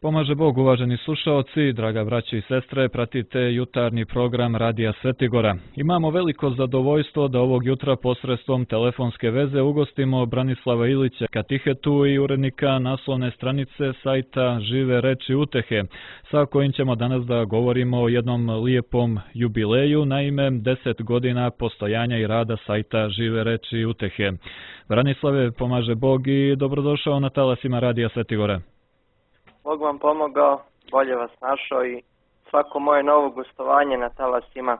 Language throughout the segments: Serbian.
Pomaže Bog, uvaženi slušaoci, draga braće i sestre, pratite jutarnji program Radija Svetigora. Imamo veliko zadovoljstvo da ovog jutra posredstvom telefonske veze ugostimo Branislava Ilića, katehetu i urednika naslovne stranice sajta Žive reči utehe, sa kojim ćemo danas da govorimo o jednom lijepom jubileju, naime 10 godina postojanja i rada sajta Žive reči utehe. Branislave, pomaže Bog i dobrodošao na talasima Radija Svetigora. Bog vam pomogao, bolje vas našao i svako moje novo gostovanje na talasima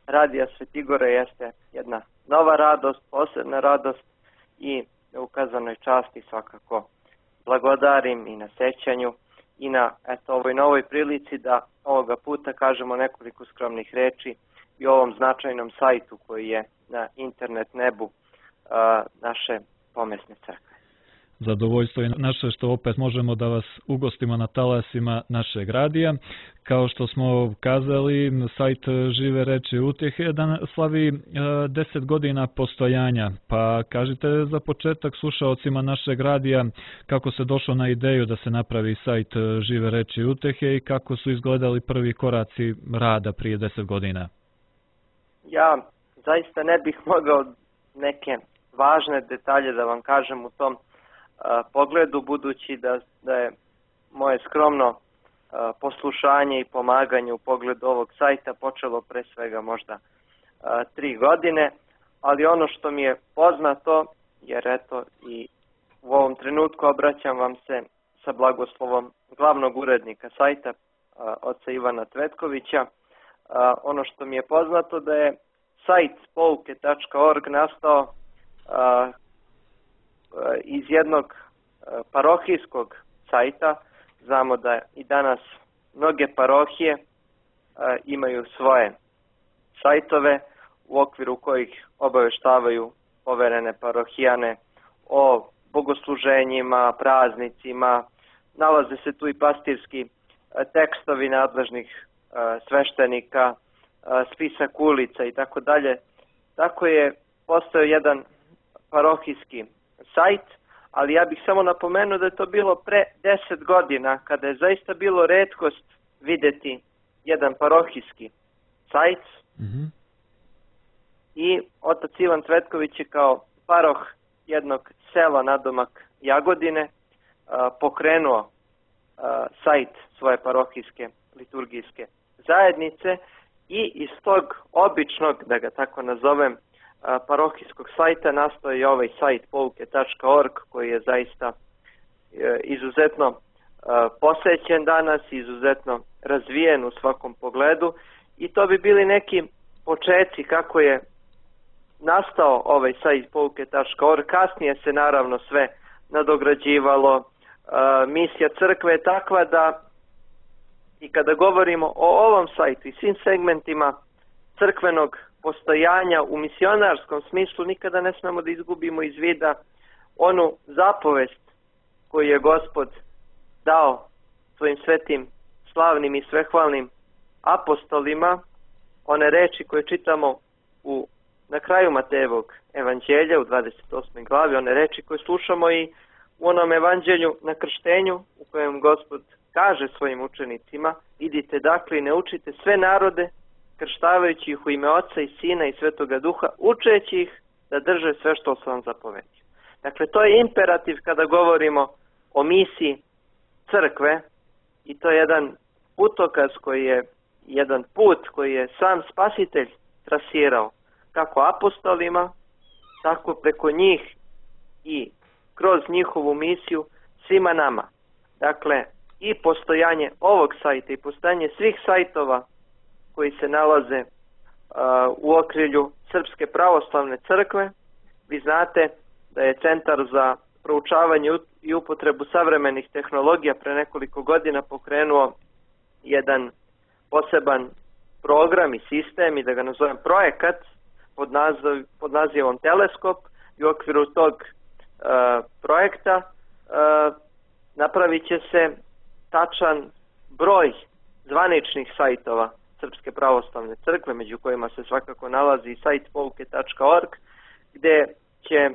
Radija Svetigora jeste jedna nova radost, posebna radost i ukazanoj časti svakako blagodarim i na sećanju i na ovoj novoj prilici da ovoga puta kažemo nekoliko skromnih reči i o ovom značajnom sajtu koji je na internet nebu naše pomesne crkve. Zadovoljstvo je naše što opet možemo da vas ugostimo na talasima našeg radija. Kao što smo kazali, sajt Žive reči utehe slavi 10 godina postojanja. Pa kažite za početak slušaocima našeg radija kako se došlo na ideju da se napravi sajt Žive reči utehe i kako su izgledali prvi koraci rada prije 10 godina. Ja zaista ne bih mogao neke važne detalje da vam kažem u tom pogledu, budući da je moje skromno poslušanje i pomaganje u pogledu ovog sajta počelo pre svega možda 3 godine, ali ono što mi je poznato, jer eto i u ovom trenutku obraćam vam se sa blagoslovom glavnog urednika sajta, oca Ivana Tvetkovića, ono što mi je poznato da je sajt pouke.org nastao iz jednog parohijskog sajta. Znamo da i danas mnoge parohije imaju svoje sajtove u okviru kojih obaveštavaju poverene parohijane o bogosluženjima, praznicima, nalaze se tu i pastirski tekstovi nadležnih sveštenika, spisak ulica i tako dalje. Tako je postao jedan parohijski sajt, ali ja bih samo napomenuo da je to bilo pre 10 godina, kada je zaista bilo retkost videti jedan parohijski sajt. I otac Ivan Tvetković je kao paroh jednog sela nadomak Jagodine pokrenuo sajt svoje parohijske liturgijske zajednice i iz tog običnog, da ga tako nazovem, parohijskog sajta nastao je ovaj sajt pouke.org koji je zaista izuzetno posećen danas, izuzetno razvijen u svakom pogledu i to bi bili neki počeci kako je nastao ovaj sajt pouke.org. Kasnije se naravno sve nadograđivalo, misija crkve je takva da i kada govorimo o ovom sajtu i svim segmentima crkvenog postojanja u misionarskom smislu, nikada ne smemo da izgubimo iz vida onu zapovest koju je Gospod dao svojim svetim, slavnim i svehvalnim apostolima, one reči koje čitamo na kraju Matejevog evanđelja u 28. glavi, one reči koje slušamo i u onom evanđelju na krštenju u kojem Gospod kaže svojim učenicima: idite dakle i ne učite sve narode, krštavajući ih u ime Oca i Sina i Svetoga Duha, učeći ih da drže sve što sam vam zapovedio. Dakle, to je imperativ kada govorimo o misiji crkve i to je jedan putokaz koji je jedan put koji je sam Spasitelj trasirao kako apostolima, tako preko njih i kroz njihovu misiju svima nama. Dakle, i postojanje ovog sajta i postojanje svih sajtova koji se nalaze u okrilju Srpske pravoslavne crkve. Vi znate da je Centar za proučavanje i upotrebu savremenih tehnologija pre nekoliko godina pokrenuo jedan poseban program i sistem, i da ga nazovem projekat, pod nazivom Teleskop, i u okviru tog projekta napravit će se tačan broj zvaničnih sajtova Srpske pravoslavne crkve, među kojima se svakako nalazi i sajt pouke.org, gde će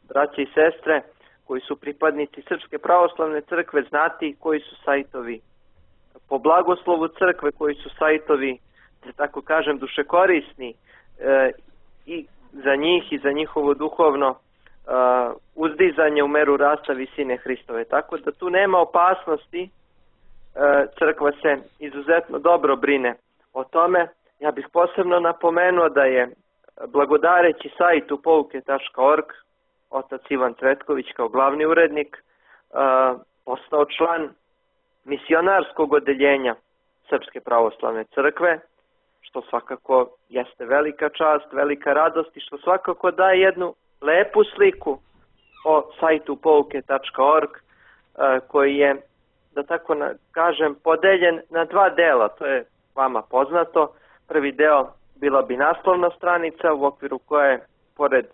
braće i sestre koji su pripadnici Srpske pravoslavne crkve znati koji su sajtovi po blagoslovu crkve, koji su sajtovi, da tako kažem, dušekorisni i za njih i za njihovo duhovno uzdizanje u meru rasta visine Hristove. Tako da tu nema opasnosti, crkva se izuzetno dobro brine o tome. Ja bih posebno napomenuo da je blagodareći sajtu pouke.org otac Ivan Cvetković kao glavni urednik postao član misionarskog odeljenja Srpske pravoslavne crkve, što svakako jeste velika čast, velika radost i što svakako daje jednu lepu sliku o sajtu pouke.org koji je, da tako kažem, podeljen na dva dela. To je vama poznato. Prvi deo bila bi naslovna stranica u okviru koje, pored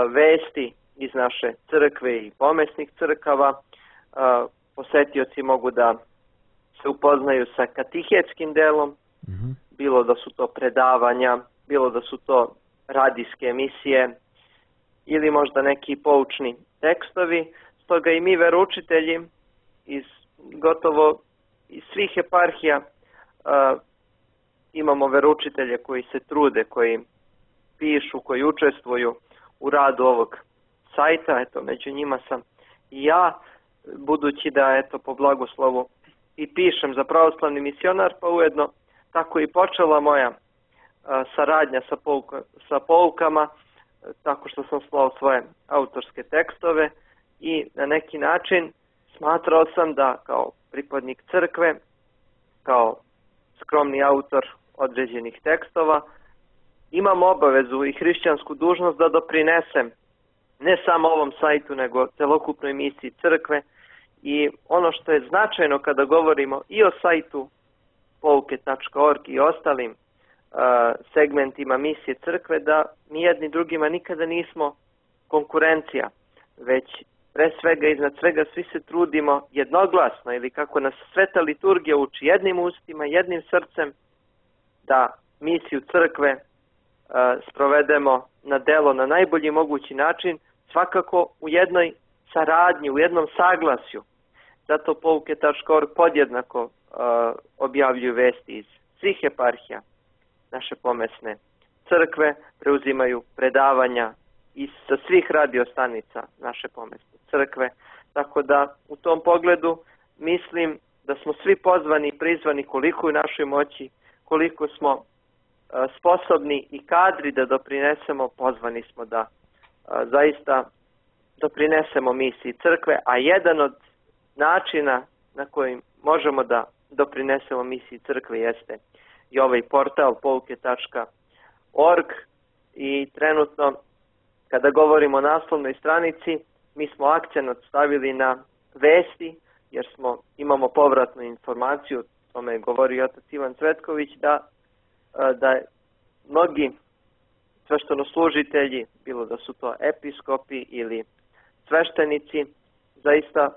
vesti iz naše crkve i pomesnih crkava, posetioci mogu da se upoznaju sa katihetskim delom, bilo da su to predavanja, bilo da su to radijske emisije ili možda neki poučni tekstovi. Stoga i mi veroučitelji iz gotovo iz svih eparhija imamo veroučitelje koji se trude, koji pišu, koji učestvuju u radu ovog sajta. Eto, među njima sam i ja, budući da eto po blagoslovu i pišem za pravoslavni misionar, pa ujedno tako i počela moja saradnja sa poukama, tako što sam slao svoje autorske tekstove i na neki način smatrao sam da kao pripadnik crkve, kao skromni autor određenih tekstova, imam obavezu i hrišćansku dužnost da doprinesem ne samo ovom sajtu, nego celokupnoj misiji crkve. I ono što je značajno kada govorimo i o sajtu pouke.org i ostalim segmentima misije crkve, da mi jedni drugima nikada nismo konkurencija, već pre svega iznad svega svi se trudimo jednoglasno, ili kako nas sveta liturgija uči, jednim ustima, jednim srcem, da misiju crkve sprovedemo na delo na najbolji mogući način, svakako u jednoj saradnji, u jednom saglasju. Zato pouke.org podjednako objavljuju vesti iz svih eparhija naše pomesne crkve, preuzimaju predavanja sa svih radiostanica naše pomesne crkve, tako da u tom pogledu mislim da smo svi pozvani i prizvani koliko u našoj moći, koliko smo sposobni i kadri da doprinesemo, pozvani smo da zaista doprinesemo misiji crkve, a jedan od načina na koji možemo da doprinesemo misiji crkve jeste i ovaj portal pouke.org i trenutno kada govorimo o naslovnoj stranici mi smo akcenat stavili na vesti jer imamo povratnu informaciju, o tome je govorio otac Ivan Cvetković, da mnogi sveštenoslužitelji, bilo da su to episkopi ili sveštenici, zaista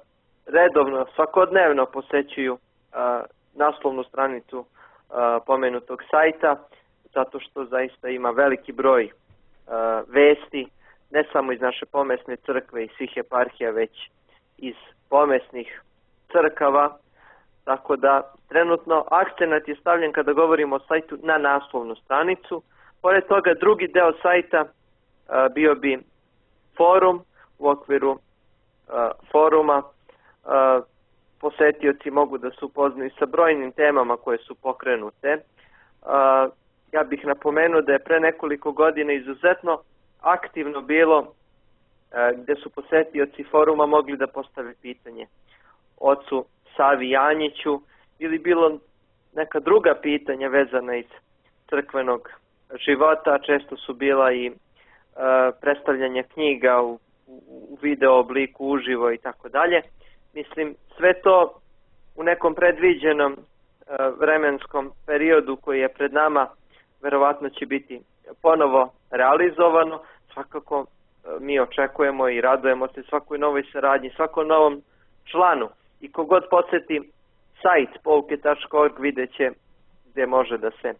redovno, svakodnevno posećuju naslovnu stranicu pomenutog sajta, zato što zaista ima veliki broj vesti, ne samo iz naše pomesne crkve i svih eparhija, već iz pomesnih crkava, tako da trenutno akcenat je stavljen kada govorimo o sajtu na naslovnu stranicu. Pored toga drugi deo sajta bio bi forum. U okviru foruma posetioci mogu da se upoznaju sa brojnim temama koje su pokrenute. Ja bih napomenuo da je pre nekoliko godina izuzetno aktivno bilo gde su posetioci foruma mogli da postave pitanje ocu Savi Janjiću ili bilo neka druga pitanja vezana iz crkvenog života. Često su bila i predstavljanja knjiga u video obliku, uživo i tako dalje. Mislim, sve to u nekom predviđenom vremenskom periodu koji je pred nama verovatno će biti ponovo realizovano. Svakako mi očekujemo i radujemo se svakoj novoj saradnji, svakom novom članu. I kogod poseti sajt pouke.org vidjet će gdje može da se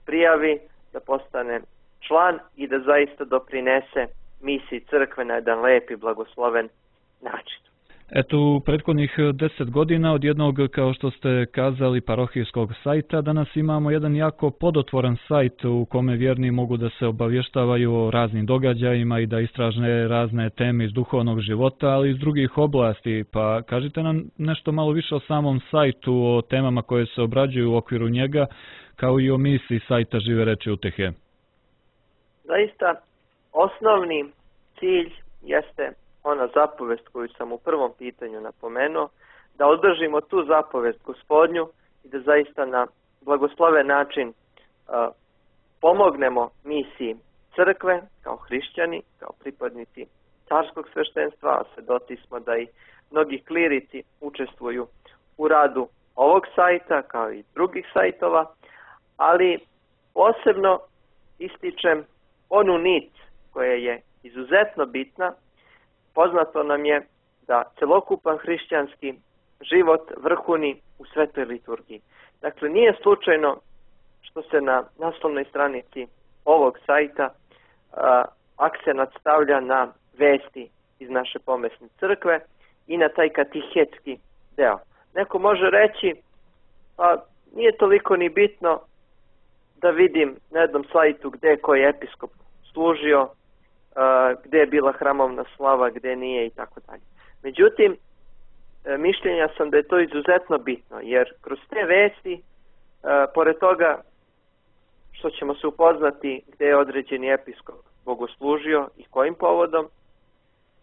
prijavi, da postane član i da zaista doprinese misiji crkve na jedan lep i blagosloven način. Eto, u prethodnih 10 godina od jednog, kao što ste kazali, parohijskog sajta, danas imamo jedan jako podotvoran sajt u kome vjerni mogu da se obavještavaju o raznim događajima i da istražne razne teme iz duhovnog života, ali i iz drugih oblasti. Pa kažite nam nešto malo više o samom sajtu, o temama koje se obrađuju u okviru njega, kao i o misiji sajta Žive reči utehe. Zaista, osnovni cilj jeste ona zapovest koju sam u prvom pitanju napomenuo, da održimo tu zapovest Gospodnju i da zaista na blagosloven način pomognemo misiji crkve kao hrišćani, kao pripadnici carskog sveštenstva, a svedoci smo da i mnogi klirici učestvuju u radu ovog sajta kao i drugih sajtova, ali posebno ističem onu nit koja je izuzetno bitna. Poznato nam je da celokupan hrišćanski život vrhuni u svetoj liturgiji. Dakle, nije slučajno što se na naslovnoj stranici ovog sajta akcenat stavlja na vesti iz naše pomesne crkve i na taj katehetski deo. Neko može reći, pa nije toliko ni bitno da vidim na jednom sajtu gde je koji episkop služio, gde je bila hramovna slava, gde nije i tako dalje. Međutim, mišljenja sam da je to izuzetno bitno, jer kroz te vesti, pored toga što ćemo se upoznati gde je određeni episkop bogoslužio i kojim povodom,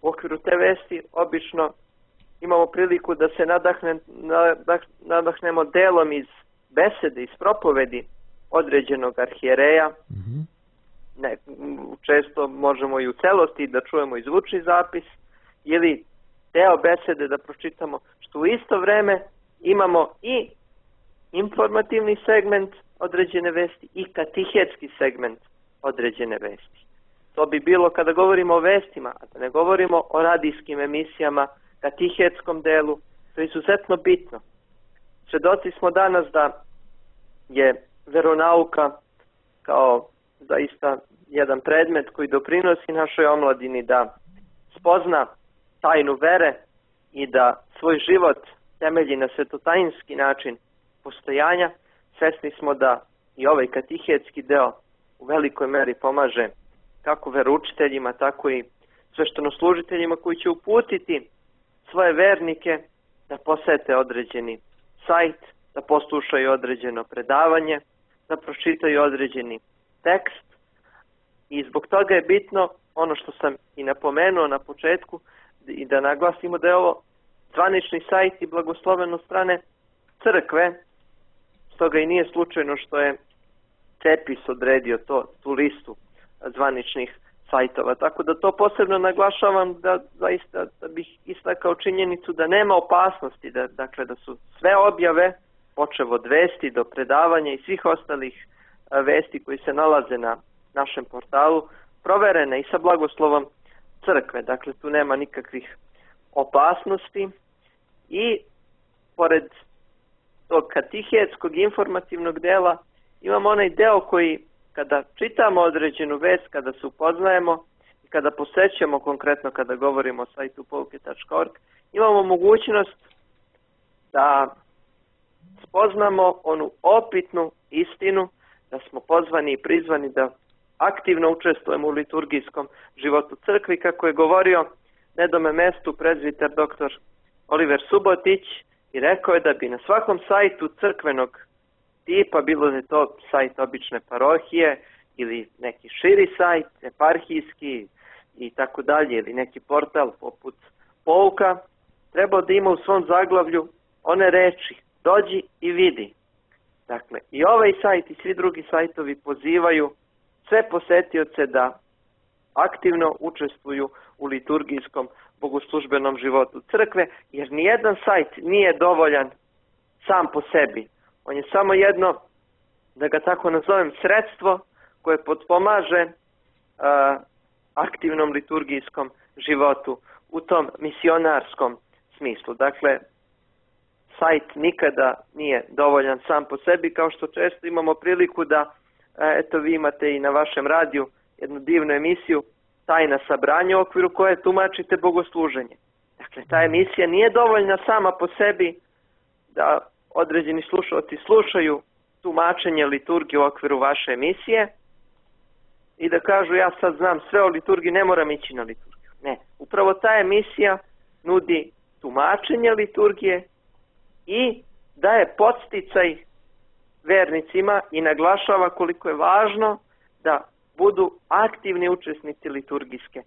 u okviru te vesti obično imamo priliku da se nadahnemo delom iz besede, iz propovedi određenog arhijereja. Često možemo i u celosti da čujemo i zvučni zapis ili deo besede da pročitamo, što u isto vreme imamo i informativni segment određene vesti i katehetski segment određene vesti. To bi bilo kada govorimo o vestima, a da ne govorimo o radijskim emisijama, katehetskom delu, to je izuzetno bitno. Svedoci smo danas da je veronauka kao zaista jedan predmet koji doprinosi našoj omladini da spozna tajnu vere i da svoj život temelji na svetotajinski način postojanja. Svesni smo da i ovaj katehetski deo u velikoj meri pomaže kako veroučiteljima, tako i sveštenoslужiteljima koji će uputiti svoje vernike da posete određeni sajt, da poslušaju određeno predavanje, da pročitaju određeni tekst. I zbog toga je bitno ono što sam i napomenuo na početku i da naglasimo da je ovo zvanični sajt i blagosloveno strane crkve, stoga i nije slučajno što je Cepis odredio tu listu zvaničnih sajtova. Tako da to posebno naglašavam da zaista da bih istakao činjenicu da nema opasnosti, da su sve objave, počev od vesti do predavanja i svih ostalih vesti koji se nalaze na našem portalu, proverene i sa blagoslovom crkve. Dakle, tu nema nikakvih opasnosti i pored tog katehetskog informativnog dela imamo onaj deo koji kada čitamo određenu vest, kada se upoznajemo i kada posećujemo, konkretno kada govorimo o sajtu pouke.org, imamo mogućnost da spoznamo onu opitnu istinu, da smo pozvani i prizvani da aktivno učestvujemo u liturgijskom životu crkvi, kako je govorio na jednom mestu prezbiter dr. Oliver Subotić i rekao je da bi na svakom sajtu crkvenog tipa, bilo da je to sajt obične parohije ili neki širi sajt, eparhijski i tako dalje, ili neki portal poput Pouka, trebao da ima u svom zaglavlju one reči: dođi i vidi. Dakle, i ovaj sajt i svi drugi sajtovi pozivaju sve posetioce da aktivno učestvuju u liturgijskom bogoslužbenom životu crkve, jer nijedan sajt nije dovoljan sam po sebi. On je samo jedno, da ga tako nazovem, sredstvo koje potpomaže aktivnom liturgijskom životu u tom misionarskom smislu. Dakle, sajt nikada nije dovoljan sam po sebi, kao što često imamo priliku da, eto vi imate i na vašem radiju jednu divnu emisiju Tajna sabranja, u okviru koje tumačite bogosluženje. Dakle, ta emisija nije dovoljna sama po sebi da određeni slušalci slušaju tumačenje liturgije u okviru vaše emisije i da kažu ja sad znam sve o liturgiji, ne moram ići na liturgiju. Ne, upravo ta emisija nudi tumačenje liturgije i daje podsticaj vernicima i naglašava koliko je važno da budu aktivni učesnici liturgijske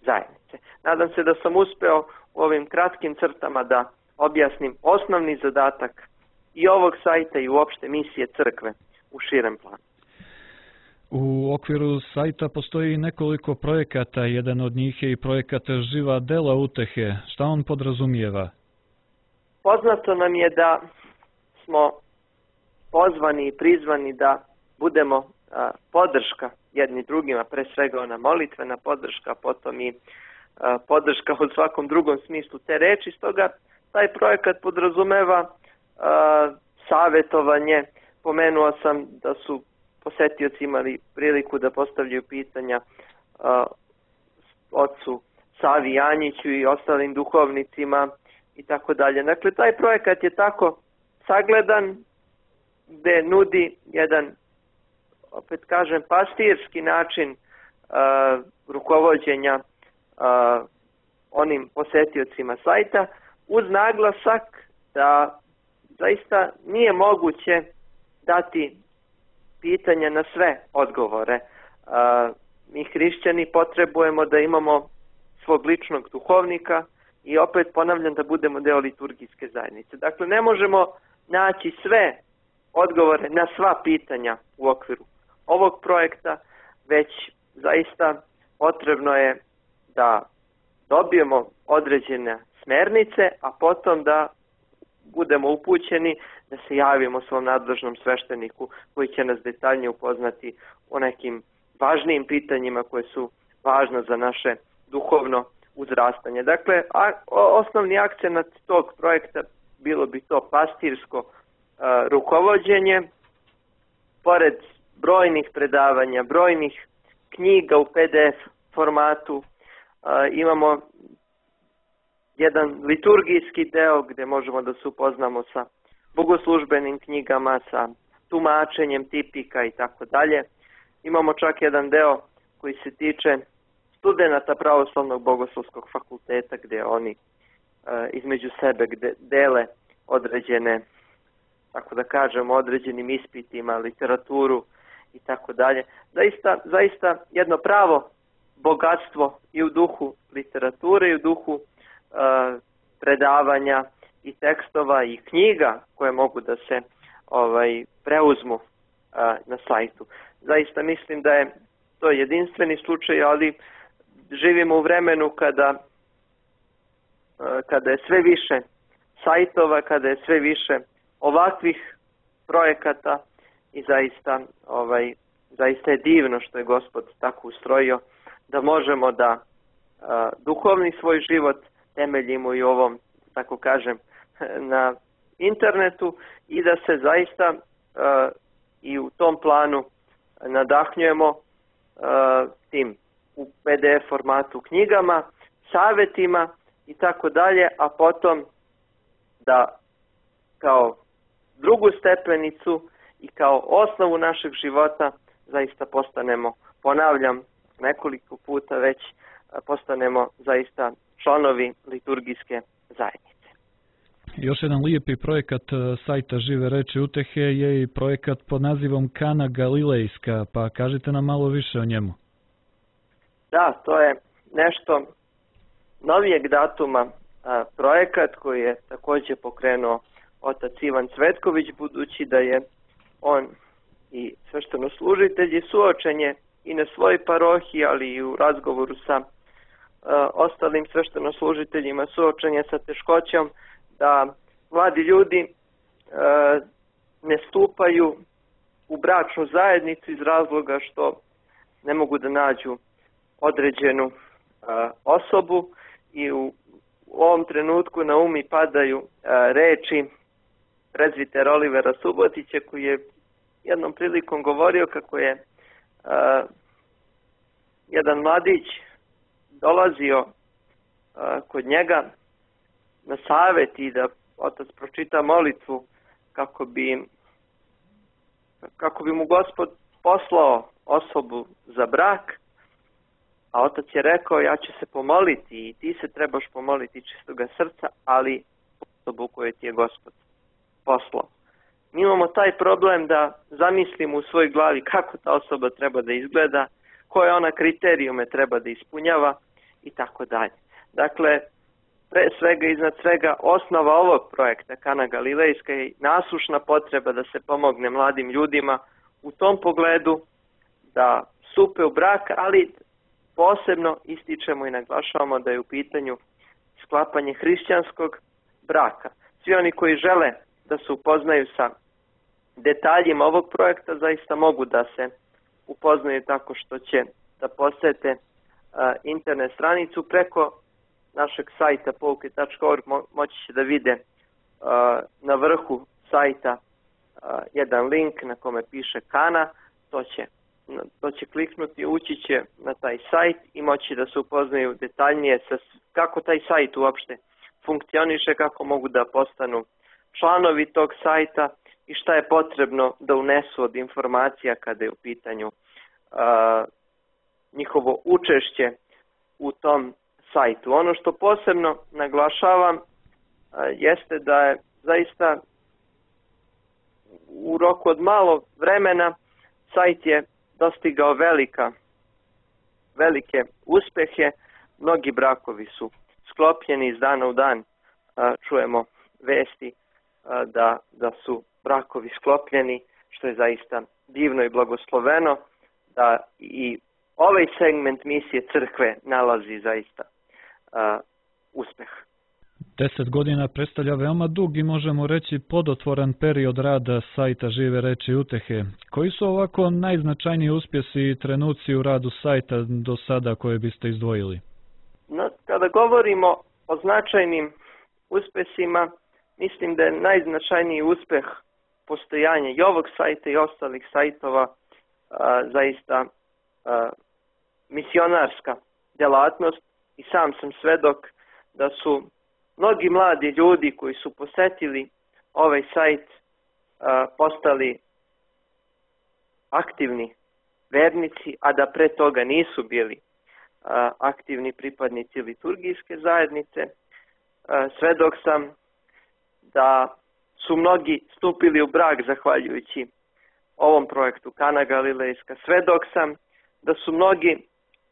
zajednice. Nadam se da sam uspeo u ovim kratkim crtama da objasnim osnovni zadatak i ovog sajta i uopšte misije crkve u širem planu. U okviru sajta postoji nekoliko projekata, jedan od njih je i projekat Živa dela utehe. Šta on podrazumijeva? Poznato nam je da smo pozvani i prizvani da budemo podrška jedni drugima, pre svega ona molitvena podrška, potom i podrška u svakom drugom smislu te reči. Stoga taj projekat podrazumeva savjetovanje. Pomenuo sam da su posetioci imali priliku da postavljaju pitanja ocu Savi Janjiću i ostalim duhovnicima i tako dalje. Dakle, taj projekat je tako sagledan gde nudi jedan, opet kažem, pastirski način rukovođenja onim posetiocima sajta, uz naglasak da zaista nije moguće dati pitanja na sve odgovore. Mi hrišćani potrebujemo da imamo svog ličnog duhovnika i opet ponavljam da budemo deo liturgijske zajednice. Dakle, ne možemo naći sve odgovore na sva pitanja u okviru ovog projekta, već zaista potrebno je da dobijemo određene smernice, a potom da budemo upućeni da se javimo svom nadležnom svešteniku koji će nas detaljnije upoznati o nekim važnijim pitanjima koje su važna za naše duhovno uzrastanje. Dakle, osnovni akcenat tog projekta bilo bi to pastirsko rukovođenje. Pored brojnih predavanja, brojnih knjiga u PDF formatu, imamo jedan liturgijski deo gdje možemo da se upoznamo sa bogoslužbenim knjigama, sa tumačenjem tipika i tako dalje. Imamo čak jedan deo koji se tiče studenata Pravoslavnog bogoslovskog fakulteta gdje oni između sebe dele određene, tako da kažemo, određenim ispitima, literaturu i tako dalje. Zaista jedno pravo bogatstvo i u duhu literature i u duhu predavanja i tekstova i knjiga koje mogu da se preuzmu na sajtu. Zaista mislim da je to jedinstveni slučaj, ali živimo u vremenu kada je sve više sajtova, kada je sve više ovakvih projekata i zaista je divno što je Gospod tako ustrojio da možemo da duhovni svoj život temeljimo i ovom, tako kažem, na internetu i da se zaista i u tom planu nadahnjujemo tim u PDF formatu knjigama, savjetima i tako dalje, a potom da kao drugu stepenicu i kao osnovu našeg života zaista postanemo, ponavljam nekoliko puta već, postanemo zaista članovi liturgijske zajednice. Još jedan lijepi projekat sajta Žive reči utehe je i projekat pod nazivom Kana Galilejska, pa kažite nam malo više o njemu. Da, to je nešto novijeg datuma projekat koji je također pokrenuo otac Ivan Cvetković, budući da je on i sveštenoslужitelj i suočen je i na svojoj parohiji, ali i u razgovoru sa ostalim sveštenoslужiteljima suočen je sa teškoćom da mladi ljudi ne stupaju u bračnu zajednicu iz razloga što ne mogu da nađu određenu osobu i u ovom trenutku na um mi padaju reči prezbitera Olivera Subotića koji je jednom prilikom govorio kako je jedan mladić dolazio kod njega na savjet i da otac pročita molitvu kako bi mu Gospod poslao osobu za brak, a otac je rekao ja ću se pomoliti i ti se trebaš pomoliti čistoga srca, ali osobu koju ti je Gospod poslao. Mi imamo taj problem da zamislimo u svojoj glavi kako ta osoba treba da izgleda, koje ona kriterijume treba da ispunjava i tako dalje. Dakle, pre svega iznad svega osnova ovog projekta Kana Galilejska je nasušna potreba da se pomogne mladim ljudima u tom pogledu da stupe u brak, ali posebno ističemo i naglašavamo da je u pitanju sklapanje hrišćanskog braka. Svi oni koji žele da se upoznaju sa detaljima ovog projekta zaista mogu da se upoznaju tako što će da posete internet stranicu preko našeg sajta pouke.org. Moći će da vide na vrhu sajta jedan link na kome piše Kana. To će kliknuti, ući će na taj sajt i moći da se upoznaju detaljnije sa kako taj sajt uopšte funkcioniše, kako mogu da postanu članovi tog sajta i šta je potrebno da unesu od informacija kada je u pitanju njihovo učešće u tom sajtu. Ono što posebno naglašavam jeste da je zaista u roku od malo vremena sajt je dostigao velike uspehe. Mnogi brakovi su sklopljeni, iz dana u dan čujemo vesti da su brakovi sklopljeni, što je zaista divno i blagosloveno, da i ovaj segment misije crkve nalazi zaista uspeh. 10 godina predstavlja veoma dug i možemo reći plodotvoran period rada sajta Žive reči utehe. Koji su ovako najznačajniji uspjesi i trenuci u radu sajta do sada koje biste izdvojili? Kada govorimo o značajnim uspjesima, mislim da je najznačajniji uspjeh postojanja i ovog sajta i ostalih sajtova zaista misionarska djelatnost i sam sam svedok da su mnogi mladi ljudi koji su posetili ovaj sajt postali aktivni vernici, a da pre toga nisu bili aktivni pripadnici liturgijske zajednice. Svedok sam da su mnogi stupili u brak zahvaljujući ovom projektu Kana Galilejska. Svedok sam da su mnogi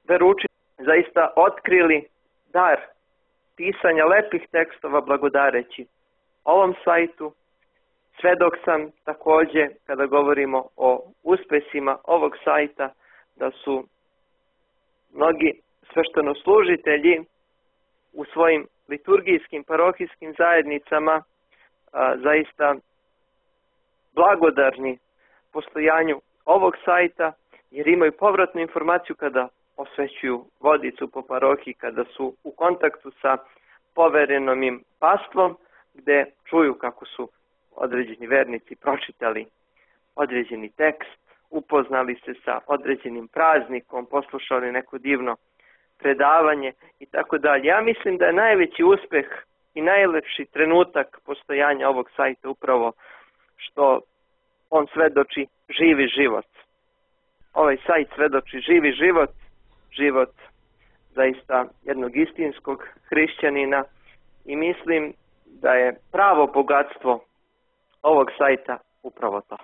veroučitelji zaista otkrili dar pisanja lepih tekstova blagodareći ovom sajtu. Svedok sam također, kada govorimo o uspesima ovog sajta, da su mnogi sveštenoslужitelji u svojim liturgijskim parohijskim zajednicama zaista blagodarni postojanju ovog sajta, jer imaju povratnu informaciju kada osvećuju vodicu po parohiji, kada su u kontaktu sa poverenom im pastvom, gde čuju kako su određeni vernici pročitali određeni tekst, upoznali se sa određenim praznikom, poslušali neko divno predavanje i tako dalje. Ja mislim da je najveći uspeh i najlepši trenutak postojanja ovog sajta upravo što on svedoči živi život. Ovaj sajt svedoči živi život, život zaista jednog istinskog hrišćanina i mislim da je pravo bogatstvo ovog sajta upravo to.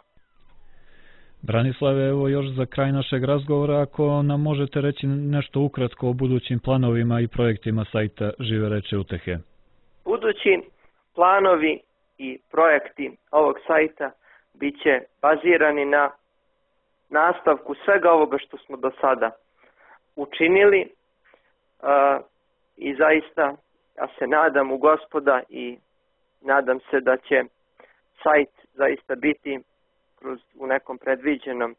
Branislave, evo još za kraj našeg razgovora, ako nam možete reći nešto ukratko o budućim planovima i projektima sajta Žive reči utehe. Budući planovi i projekti ovog sajta bit će bazirani na nastavku svega ovoga što smo do sada učinili i zaista ja se nadam u Gospoda i nadam se da će sajt zaista biti u nekom predviđenom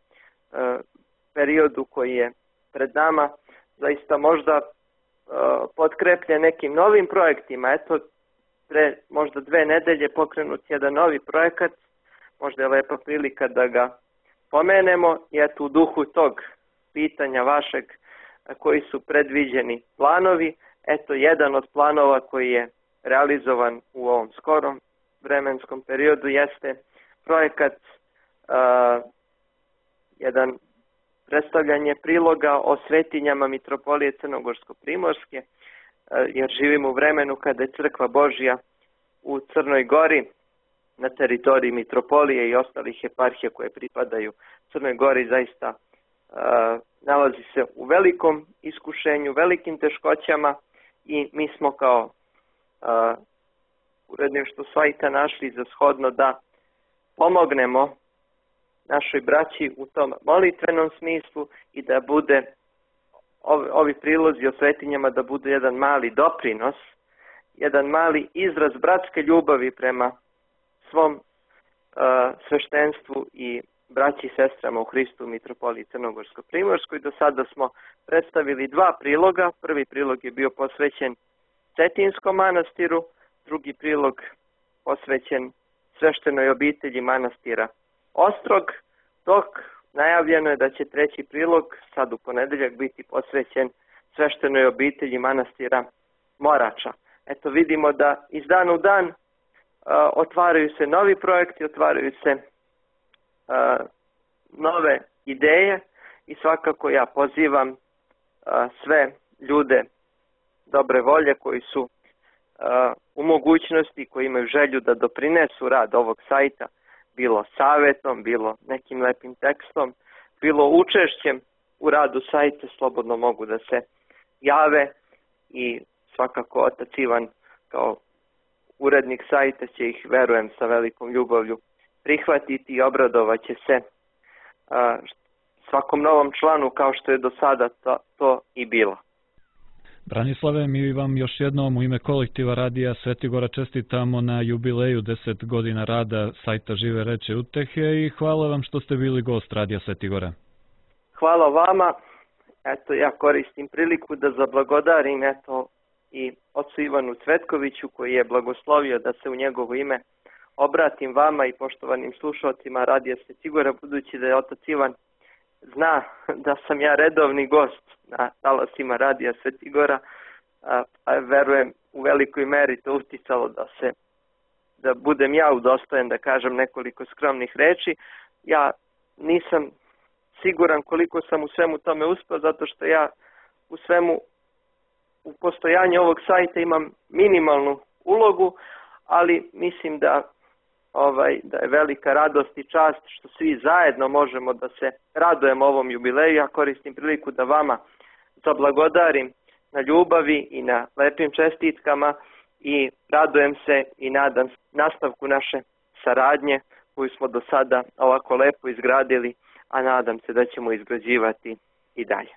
periodu koji je pred nama zaista možda potkrepljen nekim novim projektima. Eto, pre možda 2 nedelje pokrenut jedan novi projekat, možda je lepa prilika da ga pomenemo i eto u duhu tog pitanja vašeg koji su predviđeni planovi, eto jedan od planova koji je realizovan u ovom skorom vremenskom periodu jeste projekat jedan predstavljanje priloga o svetinjama Mitropolije Crnogorsko-Primorske, jer živimo u vremenu kada je Crkva Božja u Crnoj Gori na teritoriji Mitropolije i ostalih eparhija koje pripadaju Crnoj Gori zaista nalazi se u velikom iskušenju, velikim teškoćama i mi smo kao uredništvo sajta našli za shodno da pomognemo našoj braći u tom molitvenom smislu i da bude ovi prilozi o svetinjama da budu jedan mali doprinos, jedan mali izraz bratske ljubavi prema svom sveštenstvu i braći i sestrama u Hristu u Mitropoliji Crnogorsko-Primorskoj. Do sada smo predstavili 2 priloga. Prvi prilog je bio posvećen Cetinskom manastiru, drugi prilog posvećen sveštenoj obitelji manastira Ostrog, dok najavljeno je da će 3. prilog sad u ponedeljak biti posvećen sveštenoj obitelji manastira Morača. Eto, vidimo da iz dana u dan otvaraju se novi projekti, otvaraju se nove ideje i svakako ja pozivam sve ljude dobre volje koji su u mogućnosti, koji imaju želju da doprinesu rad ovog sajta, bilo savjetom, bilo nekim lepim tekstom, bilo učešćem u radu sajta, slobodno mogu da se jave i svakako otac Ivan kao urednik sajta će ih, verujem, sa velikom ljubavlju prihvatiti i obradovat će se svakom novom članu kao što je do sada to i bilo. Branislave, mi vam još jednom u ime kolektiva Radija Svetigora čestitamo na jubileju 10 godina rada sajta Žive reči utehe i hvala vam što ste bili gost Radija Svetigora. Hvala vama. Eto, ja koristim priliku da zablagodarim i ocu Ivanu Cvetkoviću koji je blagoslovio da se u njegovo ime obratim vama i poštovanim slušalcima Radija Svetigora, budući da je otac Ivan zna da sam ja redovni gost na talasima Radija Svetigora, a verujem u velikoj meri to uticalo da budem ja udostojen da kažem nekoliko skromnih reči. Ja nisam siguran koliko sam u svemu tome uspio, zato što ja u postojanju ovog sajta imam minimalnu ulogu, ali mislim da je velika radost i čast što svi zajedno možemo da se radujemo ovom jubileju. Ja koristim priliku da vama zablagodarim na ljubavi i na lepim čestitkama i radujem se i nadam se nastavku naše saradnje koju smo do sada ovako lepo izgradili, a nadam se da ćemo izgrađivati i dalje.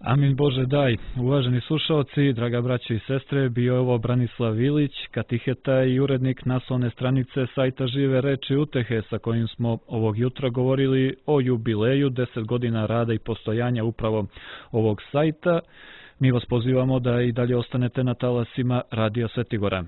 Amin Bože daj. Uvaženi slušalci, draga braćo i sestre, bio je ovo Branislav Ilić, katiheta i urednik naslovne stranice sajta Žive reči utehe, sa kojim smo ovog jutra govorili o jubileju 10 godina rada i postojanja upravo ovog sajta. Mi vas pozivamo da i dalje ostanete na talasima Radija Svetigora.